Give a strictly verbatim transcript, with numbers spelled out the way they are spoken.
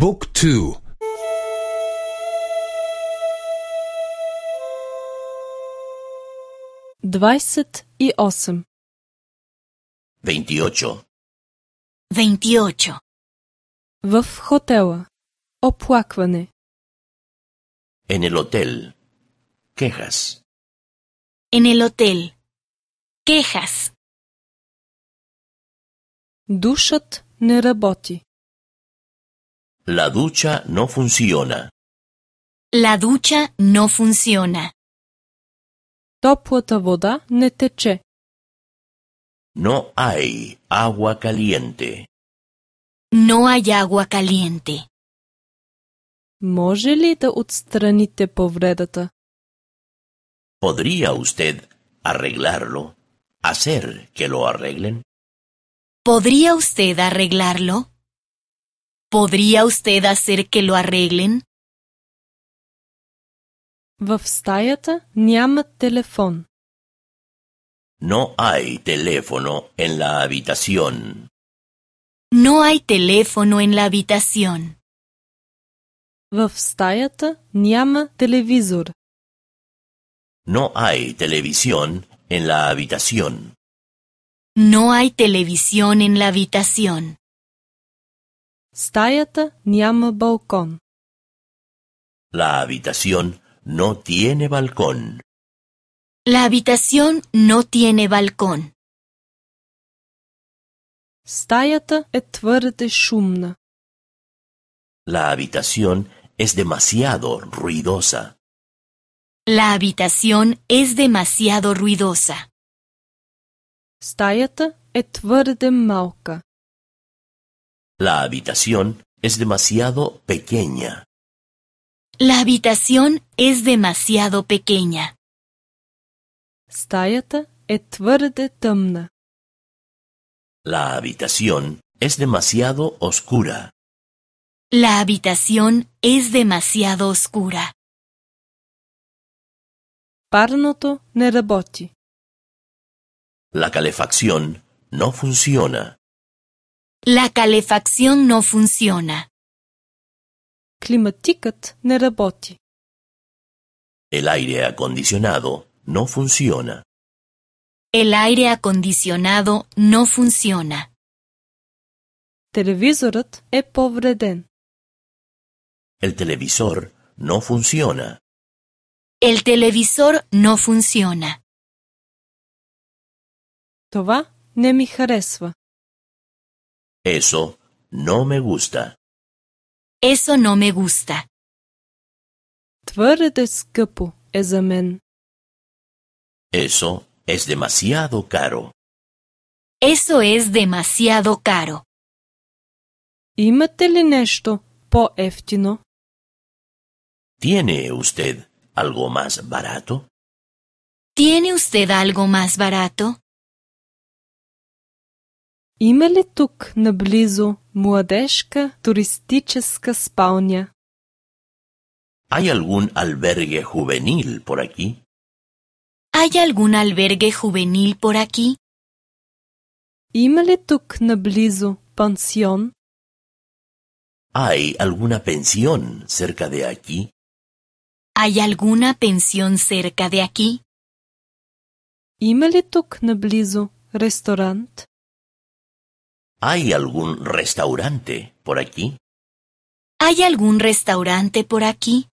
บุ๊กทูдвадесет и осем. veintiocho. veintiocho. В хотела. Оплакване. En el hotel. Quejas. En el hotel. Quejas. Душът не работи. La ducha no funciona. La ducha no funciona. Топлата вода не тече. No hay agua caliente. No hay agua caliente. Може ли да отстраните повредата? ¿Podría usted arreglarlo? ¿Hacer que lo arreglen? ¿Podría usted arreglarlo? ¿Podría usted hacer que lo arreglen? В стаята няма телефон. No hay teléfono en la habitación. No hay teléfono en la habitación. В стаята няма телевизор. No hay televisión en la habitación. No hay televisión en la habitación. Стаята няма балкон. La habitación no tiene balcón. La habitación no tiene balcón. Стаята е твърде шумна. La habitación es demasiado ruidosa. La habitación es demasiado ruidosa. Стаята е твърде малка. La habitación es demasiado pequeña. La habitación es demasiado pequeña. Стаята е твърде тъмна. La habitación es demasiado oscura. La habitación es demasiado oscura. Парното не работи. La calefacción no funciona. La calefacción no funciona. Климатикът не работи. El aire acondicionado no funciona. El aire acondicionado no funciona. Телевизорът е повреден. El televisor no funciona. El televisor no funciona. Това не ми харесва. Eso no me gusta. Eso no me gusta. Твърде скъпо е за мен. Eso es demasiado caro. Eso es demasiado caro. Имате ли нещо по-евтино? ¿Tiene usted algo más barato? ¿Tiene usted algo más barato? Има ли тук наблизо младежка туристическа спалня? ¿Hay algún albergue juvenil por aquí? ¿Hay algún albergue juvenil por aquí? Има ли тук наблизо пансион? ¿Hay alguna pensión cerca de aquí? ¿Hay alguna pensión cerca de aquí? Има ли тук наблизо ресторант? ¿Hay algún restaurante por aquí? ¿Hay algún restaurante por aquí?